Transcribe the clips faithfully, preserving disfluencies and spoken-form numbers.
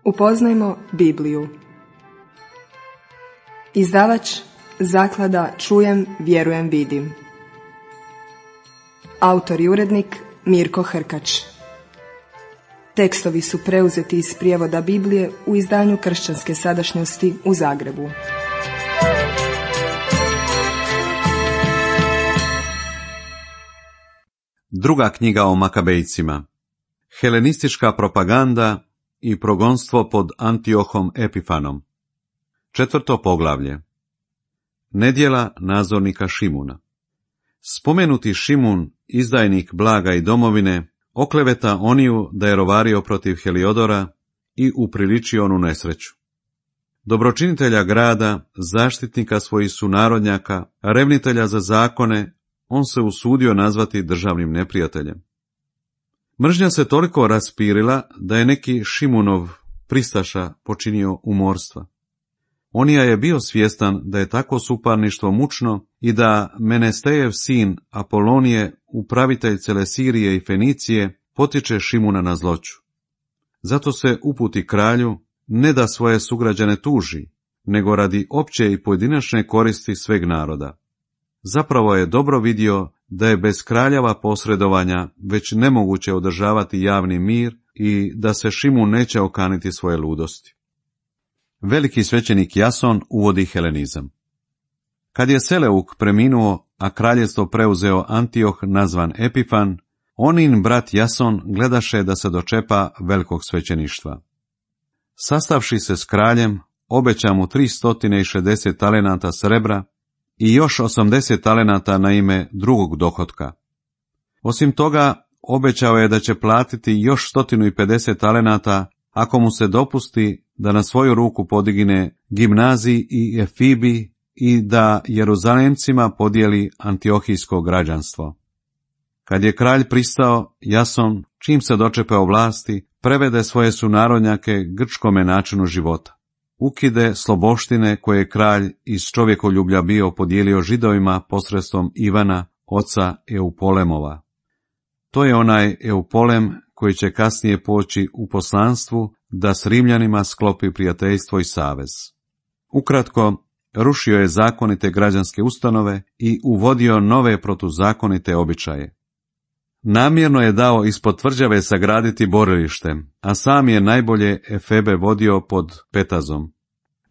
Upoznajmo Bibliju. Izdavač Zaklada Čujem, vjerujem, vidim. Autor i urednik Mirko Hrkač. Tekstovi su preuzeti iz prijevoda Biblije u izdanju Kršćanske sadašnjosti u Zagrebu. Druga knjiga o Makabejcima. Helenistička propaganda i progonstvo pod Antiohom Epifanom. Četvrto poglavlje. Nedjela nadzornika Šimuna. Spomenuti Šimun, izdajnik blaga i domovine, okleveta Oniju da je rovario protiv Heliodora i upriličio onu nesreću. Dobročinitelja grada, zaštitnika svojih sunarodnjaka, revnitelja za zakone, on se usudio nazvati državnim neprijateljem. Mržnja se toliko raspirila da je neki Šimunov pristaša počinio umorstva. Onija je bio svjestan da je tako suparništvo mučno i da Menestejev sin Apolonije, upravitelj cele Sirije i Fenicije, potiče Šimuna na zloću. Zato se uputi kralju, ne da svoje sugrađane tuži, nego radi opće i pojedinačne koristi sveg naroda. Zapravo je dobro vidio da je bez kraljeva posredovanja već nemoguće održavati javni mir i da se Šimun neće okaniti svoje ludosti. Veliki svećenik Jason uvodi helenizam. Kad je Seleuk preminuo, a kraljevstvo preuzeo Antioh nazvan Epifan, onin brat Jason gledaše da se dočepa velikog svećeništva. Sastavši se s kraljem, obeća mu tristo šezdeset talenata srebra i još osamdeset talenata na ime drugog dohotka. Osim toga, obećao je da će platiti još sto pedeset talenata ako mu se dopusti da na svoju ruku podigne gimnaziji i Efibi i da Jeruzalemcima podijeli antiohijsko građanstvo. Kad je kralj pristao, Jason, čim se dočepao vlasti, prevede svoje sunarodnjake grčkome načinu života. Ukide sloboštine koje je kralj iz čovjekoljublja bio podijelio Židovima posredstvom Ivana, oca Eupolemova. To je onaj Eupolem koji će kasnije poći u poslanstvu da s Rimljanima sklopi prijateljstvo i savez. Ukratko, rušio je zakonite građanske ustanove i uvodio nove protuzakonite običaje. Namjerno je dao ispod tvrđave sagraditi borilište, a sam je najbolje Efebe vodio pod Petazom.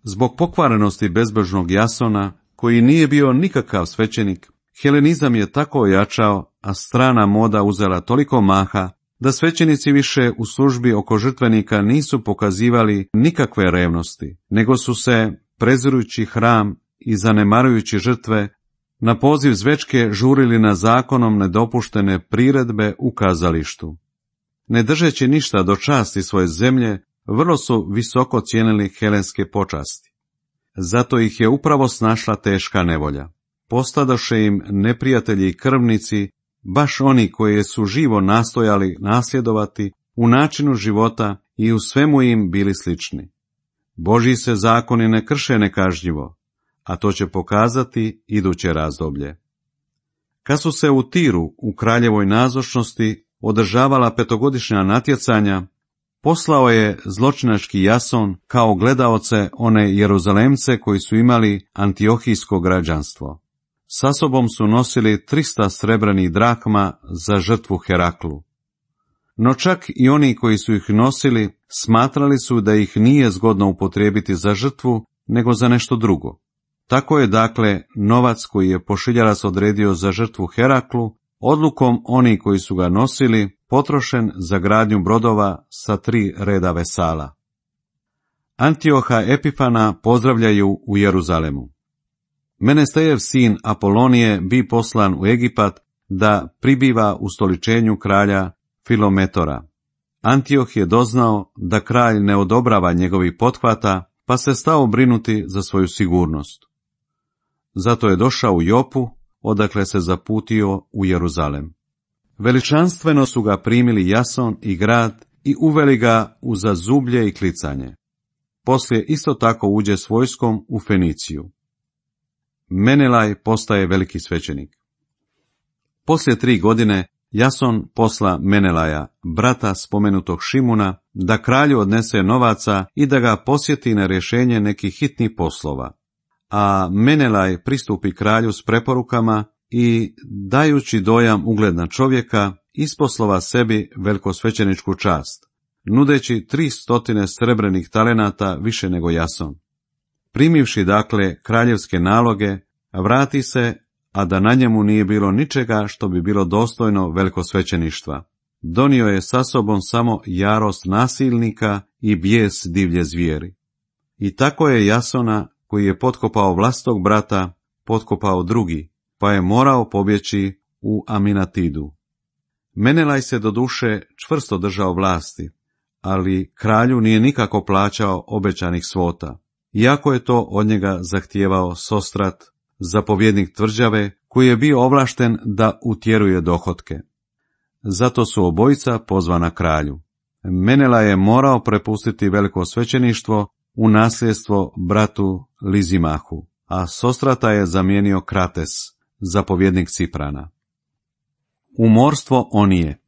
Zbog pokvarenosti bezbožnog Jasona, koji nije bio nikakav svećenik, helenizam je tako ojačao, a strana moda uzela toliko maha, da svećenici više u službi oko žrtvenika nisu pokazivali nikakve revnosti, nego su se, prezirujući hram i zanemarujući žrtve, na poziv zvečke žurili na zakonom nedopuštene priredbe u kazalištu. Ne držeći ništa do časti svoje zemlje, vrlo su visoko cijenili helenske počasti. Zato ih je upravo snašla teška nevolja. Postadoše im neprijatelji i krvnici, baš oni koji su živo nastojali nasljedovati u načinu života i u svemu im bili slični. Božji se zakoni ne krše nekažnjivo, a to će pokazati iduće razdoblje. Kad su se u Tiru u kraljevoj nazočnosti održavala petogodišnja natjecanja, poslao je zločinački Jason kao gledaoce one Jeruzalemce koji su imali antiohijsko građanstvo. Sa sobom su nosili trista srebrnih drakma za žrtvu Heraklu. No čak i oni koji su ih nosili smatrali su da ih nije zgodno upotrijebiti za žrtvu, nego za nešto drugo. Tako je dakle novac koji je pošiljarac odredio za žrtvu Heraklu, odlukom oni koji su ga nosili, potrošen za gradnju brodova sa tri reda vesala. Antioha Epifana pozdravljaju u Jeruzalemu. Menestejev sin Apolonije bi poslan u Egipat da pribiva u stoličenju kralja Filometora. Antioh je doznao da kralj ne odobrava njegovih pothvata, pa se stao brinuti za svoju sigurnost. Zato je došao u Jopu, odakle se zaputio u Jeruzalem. Veličanstveno su ga primili Jason i grad i uveli ga u zazublje i klicanje. Poslije isto tako uđe s vojskom u Feniciju. Menelaj postaje veliki svećenik. Poslije tri godine Jason posla Menelaja, brata spomenutog Šimuna, da kralju odnese novaca i da ga posjeti na rješenje nekih hitnih poslova. A Menelaj pristupi kralju s preporukama i, dajući dojam ugledna čovjeka, isposlova sebi velikosvećeničku čast, nudeći tri stotine srebrenih talenata više nego Jason. Primivši dakle kraljevske naloge, vrati se, a da na njemu nije bilo ničega što bi bilo dostojno velikosvećeništva. Donio je sa sobom samo jarost nasilnika i bijes divlje zvijeri. I tako je Jasona, koji je potkopao vlastog brata, potkopao drugi, pa je morao pobjeći u Aminatidu. Menelaj se doduše čvrsto držao vlasti, ali kralju nije nikako plaćao obećanih svota, iako je to od njega zahtijevao Sostrat, zapovjednik tvrđave, koji je bio ovlašten da utjeruje dohotke. Zato su obojica pozvana kralju. Menelaj je morao prepustiti veliko svećeništvo u nasljedstvo bratu Lizimahu, a Sostrata je zamijenio Krates, zapovjednik Ciprana. Umorstvo Onije.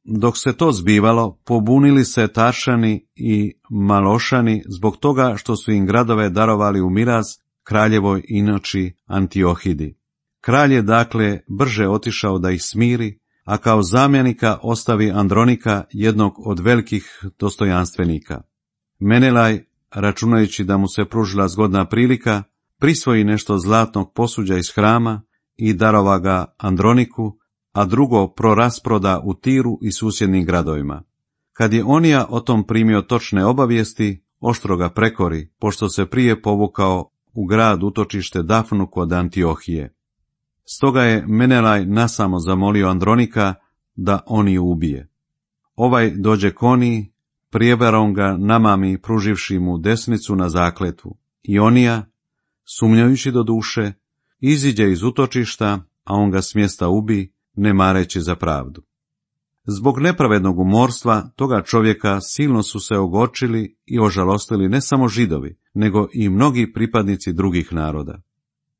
Dok se to zbivalo, pobunili se Taršani i Malošani zbog toga što su im gradove darovali u miraz kraljevoj inoči Antiohidi. Kralj je dakle brže otišao da ih smiri, a kao zamjenika ostavi Andronika, jednog od velikih dostojanstvenika. Menelaj, računajući da mu se pružila zgodna prilika, prisvoji nešto zlatnog posuđa iz hrama i darova ga Androniku, a drugo prorasproda u Tiru i susjednim gradovima. Kad je Onija o tom primio točne obavijesti, oštro ga prekori, pošto se prije povukao u grad utočište Dafnu kod Antiohije. Stoga je Menelaj nasamo zamolio Andronika da Oniju ubije. Ovaj dođe k Oniji, prijevarom ga namami pruživši mu desnicu na zakletvu. I Onija, sumnjajući do duše, iziđe iz utočišta, a on ga s mjesta ubi, ne mareći za pravdu. Zbog nepravednog umorstva toga čovjeka silno su se ogorčili i ožalostili ne samo Židovi, nego i mnogi pripadnici drugih naroda.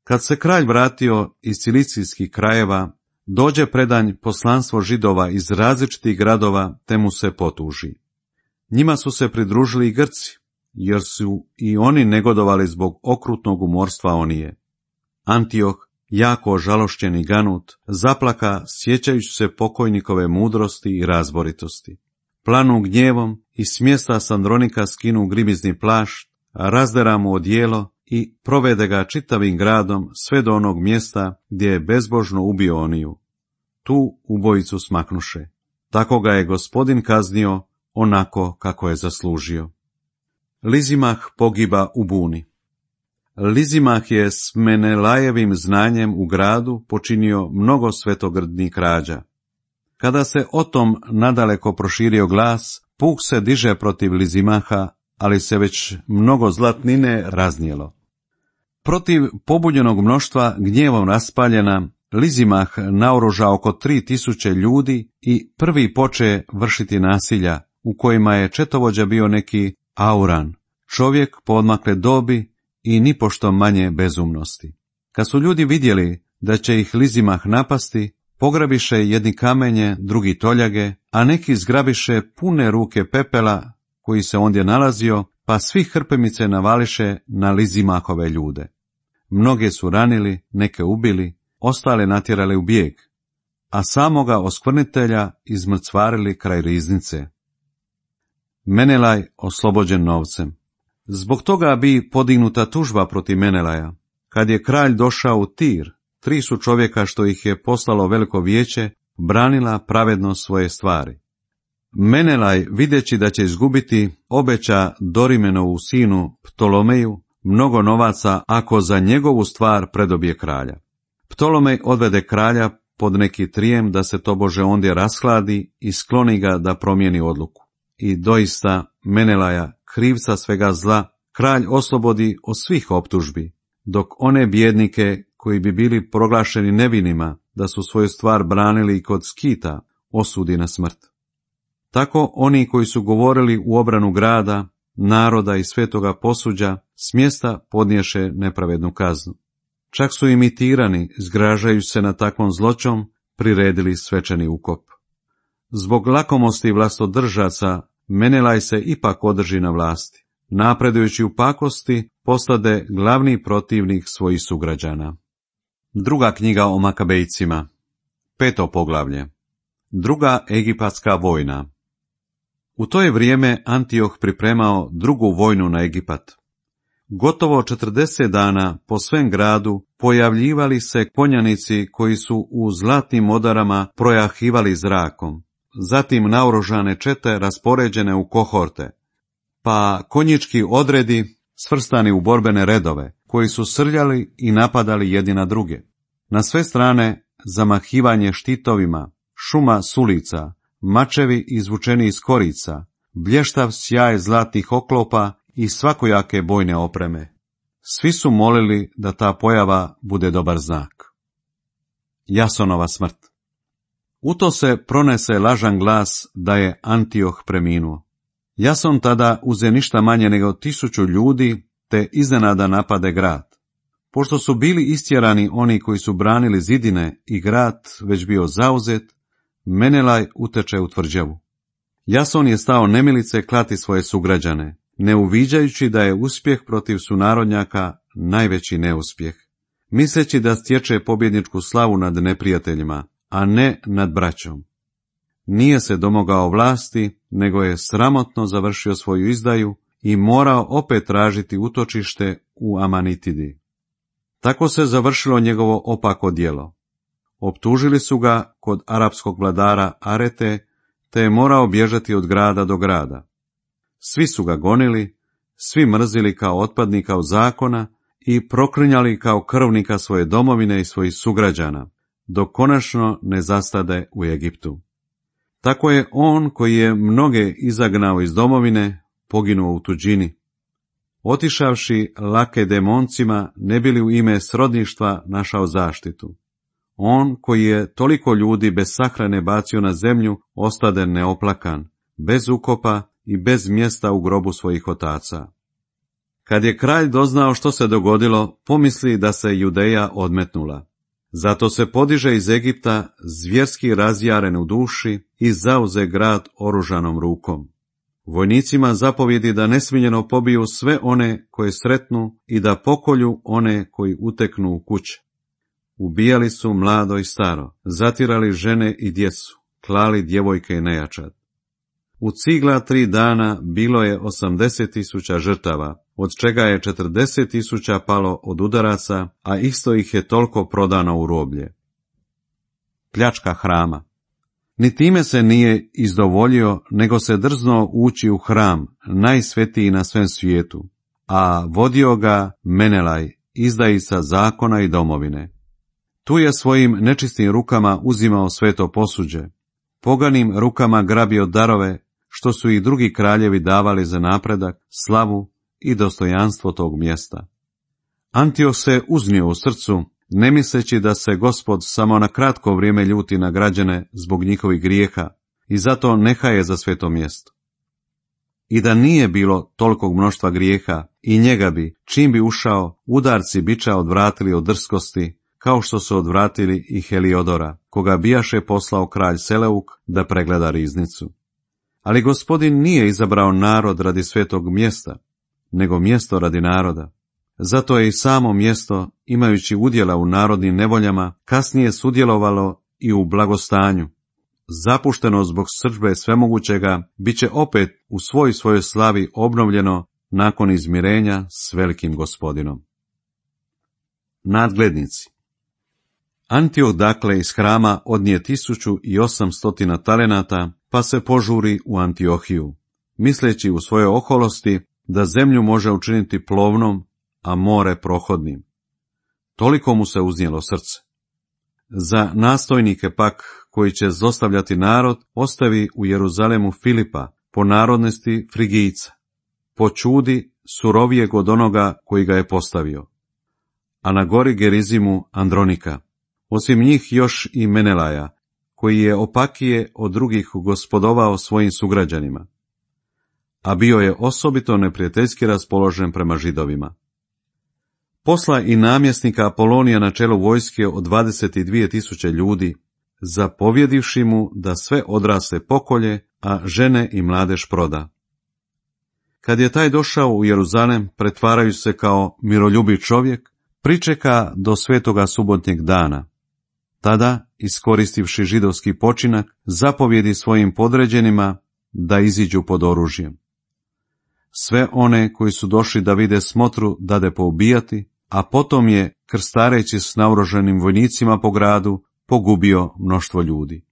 Kad se kralj vratio iz cilicijskih krajeva, dođe predanj poslanstvo Židova iz različitih gradova, te mu se potuži. Njima su se pridružili i Grci, jer su i oni negodovali zbog okrutnog umorstva Onije. Antioh, jako ožalošćen i ganut, zaplaka sjećajući se pokojnikove mudrosti i razboritosti. Planu gnjevom i s mjesta s Andronika skinu grimizni plašt, razdera mu odijelo i provede ga čitavim gradom sve do onog mjesta gdje je bezbožno ubio Oniju. Tu ubojicu smaknuše. Tako ga je Gospodin kaznio onako kako je zaslužio. Lizimah pogiba u buni. Lizimah je s Menelajevim znanjem u gradu počinio mnogo svetogrdnih krađa. Kada se o tom nadaleko proširio glas, puk se diže protiv Lizimaha, ali se već mnogo zlatnine raznijelo. Protiv pobunjenog mnoštva gnjevom raspaljena, Lizimah naoruža oko tri tisuće ljudi i prvi poče vršiti nasilja, u kojima je četovođa bio neki Auran, čovjek poodmakle dobi i nipošto manje bezumnosti. Kad su ljudi vidjeli da će ih Lizimah napasti, pograbiše jedni kamenje, drugi toljage, a neki zgrabiše pune ruke pepela koji se ondje nalazio, pa svi hrpemice navališe na Lizimahove ljude. Mnoge su ranili, neke ubili, ostale natjerali u bijeg, a samoga oskvrnitelja izmrcvarili kraj riznice. Menelaj oslobođen novcem. Zbog toga bi podignuta tužba protiv Menelaja. Kad je kralj došao u Tir, tri su čovjeka što ih je poslalo veliko vijeće, branila pravedno svoje stvari. Menelaj, videći da će izgubiti, obeća Dorimenovu sinu Ptolomeju mnogo novaca ako za njegovu stvar predobije kralja. Ptolomej odvede kralja pod neki trijem da se tobože ondje rashladi i skloni ga da promijeni odluku. I doista Menelaja, krivca svega zla, kralj oslobodi od svih optužbi, dok one bjednike koji bi bili proglašeni nevinima da su svoju stvar branili i kod Skita, osudi na smrt. Tako oni koji su govorili u obranu grada, naroda i svetoga posuđa, s mjesta podniješe nepravednu kaznu. Čak su imitirani, zgražajući se na takvom zločom, priredili svečani ukop. Zbog lakomosti vlastodržaca, Menelaj se ipak održi na vlasti. Napredujući u pakosti, postade glavni protivnik svojih sugrađana. Druga knjiga o Makabejcima. Peto poglavlje. Druga egipatska vojna. U to je vrijeme Antioh pripremao drugu vojnu na Egipat. Gotovo četrdeset dana po svem gradu pojavljivali se konjanici koji su u zlatnim odarama projahivali zrakom, zatim naoružane čete raspoređene u kohorte, pa konjički odredi svrstani u borbene redove, koji su srljali i napadali jedni na druge. Na sve strane zamahivanje štitovima, šuma sulica, mačevi izvučeni iz korica, blještav sjaj zlatnih oklopa i svakojake bojne opreme. Svi su molili da ta pojava bude dobar znak. Jasonova smrt. U to se pronese lažan glas da je Antioh preminuo. Jason tada uze ništa manje nego tisuću ljudi, te iznenada napade grad. Pošto su bili istjerani oni koji su branili zidine i grad već bio zauzet, Menelaj uteče u tvrđavu. Jason je stao nemilice klati svoje sugrađane, ne uviđajući da je uspjeh protiv sunarodnjaka najveći neuspjeh, misleći da stječe pobjedničku slavu nad neprijateljima, a ne nad braćom. Nije se domogao vlasti, nego je sramotno završio svoju izdaju i morao opet tražiti utočište u Amanitidi. Tako se završilo njegovo opako djelo. Optužili su ga kod arapskog vladara Arete, te je morao bježati od grada do grada. Svi su ga gonili, svi mrzili kao otpadnika od zakona i proklinjali kao krvnika svoje domovine i svojih sugrađana, dok konačno ne zastade u Egiptu. Tako je on koji je mnoge izagnao iz domovine, poginuo u tuđini. Otišavši lake demoncima, ne bi li u ime srodništva našao zaštitu. On koji je toliko ljudi bez sahrane bacio na zemlju, ostade neoplakan, bez ukopa i bez mjesta u grobu svojih otaca. Kad je kralj doznao što se dogodilo, pomisli da se Judeja odmetnula. Zato se podiže iz Egipta zvjerski razjaren u duši i zauze grad oružanom rukom. Vojnicima zapovjedi da nesmiljeno pobiju sve one koje sretnu i da pokolju one koji uteknu u kuće. Ubijali su mlado i staro, zatirali žene i djecu, klali djevojke i nejačad. U cigla tri dana bilo je osamdeset tisuća žrtava, od čega je četrdeset tisuća palo od udaraca, a isto ih je toliko prodano u roblje. Pljačka hrama. Ni time se nije izdovoljio, nego se drznuo ući u hram, najsvetiji na svem svijetu, a vodio ga Menelaj, izdajica zakona i domovine. Tu je svojim nečistim rukama uzimao sveto posuđe, poganim rukama grabio darove, što su i drugi kraljevi davali za napredak, slavu i dostojanstvo tog mjesta. Antioh se uznio u srcu, ne misleći da se Gospod samo na kratko vrijeme ljuti na građane zbog njihovih grijeha i zato nehaje za sveto mjesto. I da nije bilo tolikog mnoštva grijeha, i njega bi, čim bi ušao, udarci biča odvratili od drskosti, kao što su odvratili i Heliodora, koga bijaše poslao kralj Seleuk da pregleda riznicu. Ali Gospodin nije izabrao narod radi svetog mjesta, nego mjesto radi naroda. Zato je i samo mjesto, imajući udjela u narodnim nevoljama, kasnije sudjelovalo i u blagostanju. Zapušteno zbog srdžbe svemogućega, bit će opet u svoj svojoj slavi obnovljeno nakon izmirenja s velikim Gospodinom. Nadglednici. Antioh dakle iz hrama odnije tisuću i osamstotina talenata, pa se požuri u Antiohiju, misleći u svojoj oholosti da zemlju može učiniti plovnom, a more prohodnim. Toliko mu se uznijelo srce. Za nastojnike pak, koji će zlostavljati narod, ostavi u Jeruzalemu Filipa, po narodnosti Frigijca, po čudi surovijeg od onoga koji ga je postavio, a na gori Gerizimu Andronika. Osim njih još i Menelaja, koji je opakije od drugih gospodovao svojim sugrađanima, a bio je osobito neprijateljski raspoložen prema Židovima. Posla i namjesnika Apolonija na čelu vojske od dvadeset dvije tisuće ljudi, zapovjedivši mu da sve odrasle pokolje, a žene i mladež proda. Kad je taj došao u Jeruzalem, pretvarajući se kao miroljubiv čovjek, pričeka do svetoga subotnjeg dana. Tada, iskoristivši židovski počinak, zapovjedi svojim podređenima da iziđu pod oružjem. Sve one koji su došli da vide smotru dade poubijati, a potom je, krstareći s naoružanim vojnicima po gradu, pogubio mnoštvo ljudi.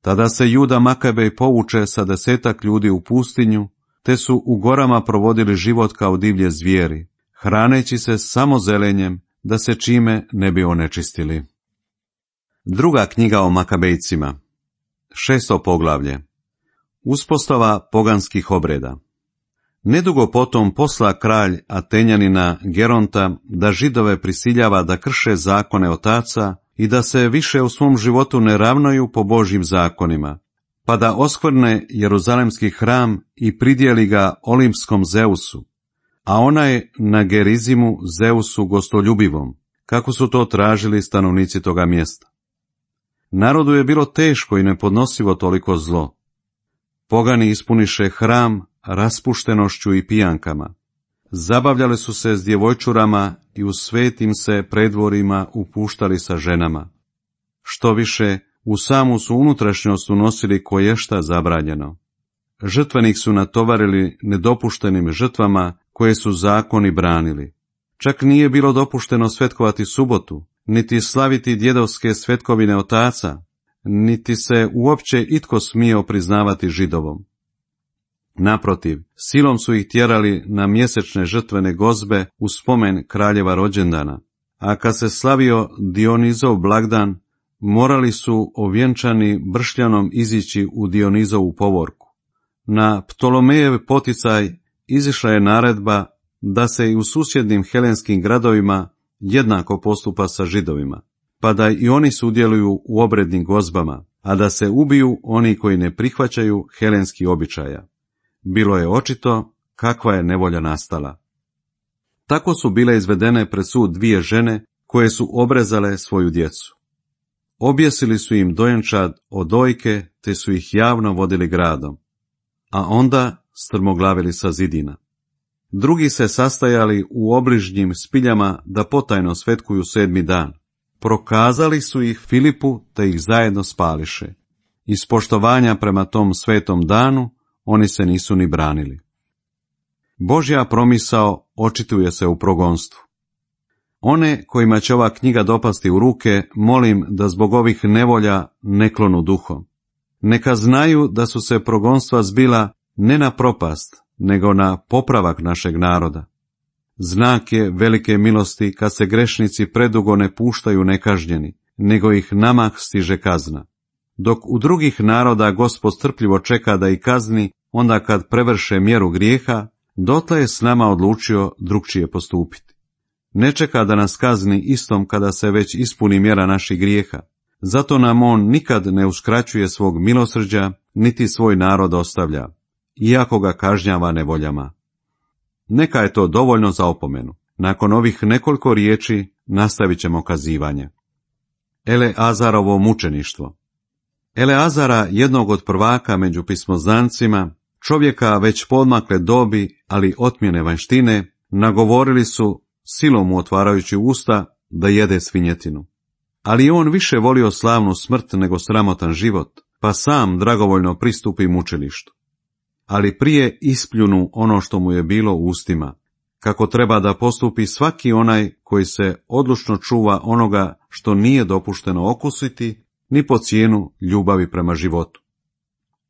Tada se Juda Makabej povuče sa desetak ljudi u pustinju, te su u gorama provodili život kao divlje zvijeri, hraneći se samo zelenjem, da se čime ne bi onečistili. Druga knjiga o Makabejcima. Šesto poglavlje. Uspostava poganskih obreda. Nedugo potom posla kralj Atenjanina Geronta da Židove prisiljava da krše zakone otaca i da se više u svom životu ne ravnaju po Božjim zakonima, pa da oskvrne Jeruzalemski hram i pridjeli ga olimpskom Zeusu, a onaj na Gerizimu Zeusu gostoljubivom, kako su to tražili stanovnici toga mjesta. Narodu je bilo teško i nepodnosivo toliko zlo. Pogani ispuniše hram raspuštenošću i pijankama. Zabavljali su se s djevojčurama i u svetim se predvorima upuštali sa ženama. Što više, u samu su unutrašnjost unosili koješta zabranjeno. Žrtvenik su natovarili nedopuštenim žrtvama koje su zakoni branili. Čak nije bilo dopušteno svetkovati subotu, niti slaviti djedovske svetkovine otaca, niti se uopće itko smio priznavati Židovom. Naprotiv, silom su ih tjerali na mjesečne žrtvene gozbe u spomen kraljeva rođendana, a kad se slavio Dionizov blagdan, morali su ovjenčani bršljanom izići u Dionizovu povorku. Na Ptolomejev poticaj izišla je naredba da se i u susjednim helenskim gradovima jednako postupa sa Židovima, pa da i oni sudjeluju u obrednim gozbama, a da se ubiju oni koji ne prihvaćaju helenski običaja. Bilo je očito kakva je nevolja nastala. Tako su bile izvedene pred sud dvije žene koje su obrezale svoju djecu. Objesili su im dojenčad od dojke, te su ih javno vodili gradom, a onda strmoglavili sa zidina. Drugi se sastajali u obližnjim spiljama da potajno svetkuju sedmi dan. Prokazali su ih Filipu, te ih zajedno spališe. Iz poštovanja prema tom svetom danu, oni se nisu ni branili. Božja promisao očituje se u progonstvu. One kojima će ova knjiga dopasti u ruke, molim da zbog ovih nevolja ne klonu duhom. Neka znaju da su se progonstva zbila ne na propast, nego na popravak našeg naroda. Znak je velike milosti kad se grešnici predugo ne puštaju nekažnjeni, nego ih namah stiže kazna. Dok u drugih naroda Gospod strpljivo čeka da ih kazni, onda kad prevrše mjeru grijeha, dotle je s nama odlučio drukčije postupiti. Ne čeka da nas kazni istom kada se već ispuni mjera naših grijeha. Zato nam on nikad ne uskraćuje svog milosrđa, niti svoj narod ostavlja, iako ga kažnjava nevoljama. Neka je to dovoljno za opomenu. Nakon ovih nekoliko riječi nastavit ćemo kazivanje. Eleazarovo mučeništvo. Eleazara, jednog od prvaka među pismoznancima, čovjeka već poodmakle dobi, ali otmjene vanjštine, nagovorili su, silom mu otvarajući usta, da jede svinjetinu. Ali on više volio slavnu smrt nego sramotan život, pa sam dragovoljno pristupi mučilištu. Ali prije ispljunu ono što mu je bilo u ustima, kako treba da postupi svaki onaj koji se odlučno čuva onoga što nije dopušteno okusiti, ni po cijenu ljubavi prema životu.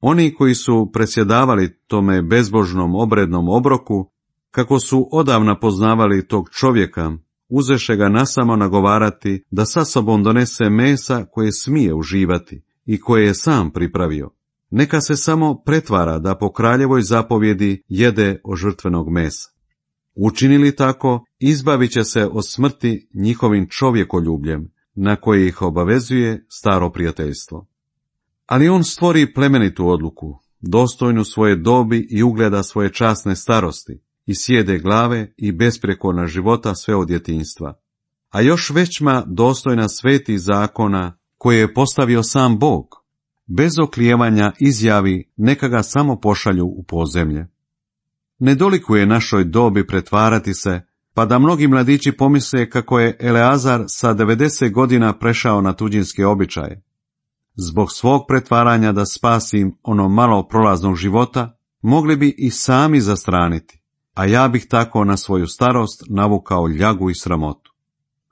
Oni koji su predsjedavali tome bezbožnom obrednom obroku, kako su odavna poznavali tog čovjeka, uzeše ga nasamo nagovarati da sa sobom donese mesa koje smije uživati i koje je sam pripravio. Neka se samo pretvara da po kraljevoj zapovjedi jede od žrtvenog mesa. Učinili tako, izbavit će se od smrti njihovim čovjekoljubljem, na koje ih obavezuje staro prijateljstvo. Ali on stvori plemenitu odluku, dostojnu svoje dobi i ugleda svoje časne starosti, i sjede glave i besprijekorna života sve od djetinjstva. A još većma dostojna svetih zakona koje je postavio sam Bog. bez oklijevanja izjavi neka ga samo pošalju u podzemlje. Ne dolikuje našoj dobi pretvarati se, pa da mnogi mladići pomisle kako je Eleazar sa devedeset godina prešao na tuđinske običaje. Zbog svog pretvaranja da spasim ono malo prolaznog života, mogli bi i sami zastraniti, a ja bih tako na svoju starost navukao ljagu i sramotu.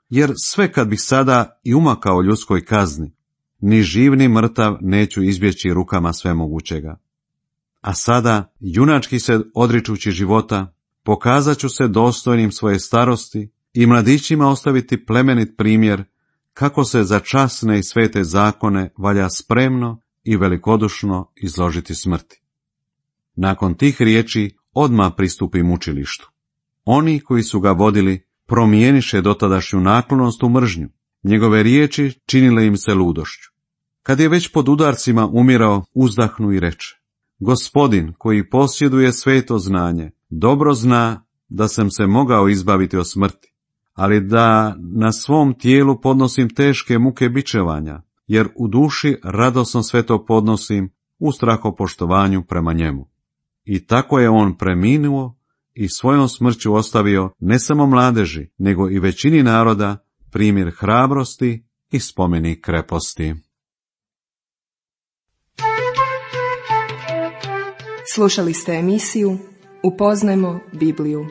Jer sve kad bih sada i umakao ljudskoj kazni, ni živ ni mrtav neću izbjeći rukama svemogućega. A sada, junački se odričući života, pokazat ću se dostojnim svoje starosti i mladićima ostaviti plemenit primjer kako se za časne i svete zakone valja spremno i velikodušno izložiti smrti. Nakon tih riječi odmah pristupi mučilištu. Oni koji su ga vodili promijeniše dotadašnju naklonost u mržnju, njegove riječi činile im se ludošću. Kad je već pod udarcima umirao, uzdahnu i reče: Gospodin koji posjeduje sveto znanje, dobro zna da sam se mogao izbaviti od smrti, ali da na svom tijelu podnosim teške muke bičevanja, jer u duši radosno sve to podnosim u strahopoštovanju prema njemu. I tako je on preminuo i svojom smrću ostavio ne samo mladeži, nego i većini naroda primjer hrabrosti i spomenik kreposti. Slušali ste emisiju Upoznajmo Bibliju.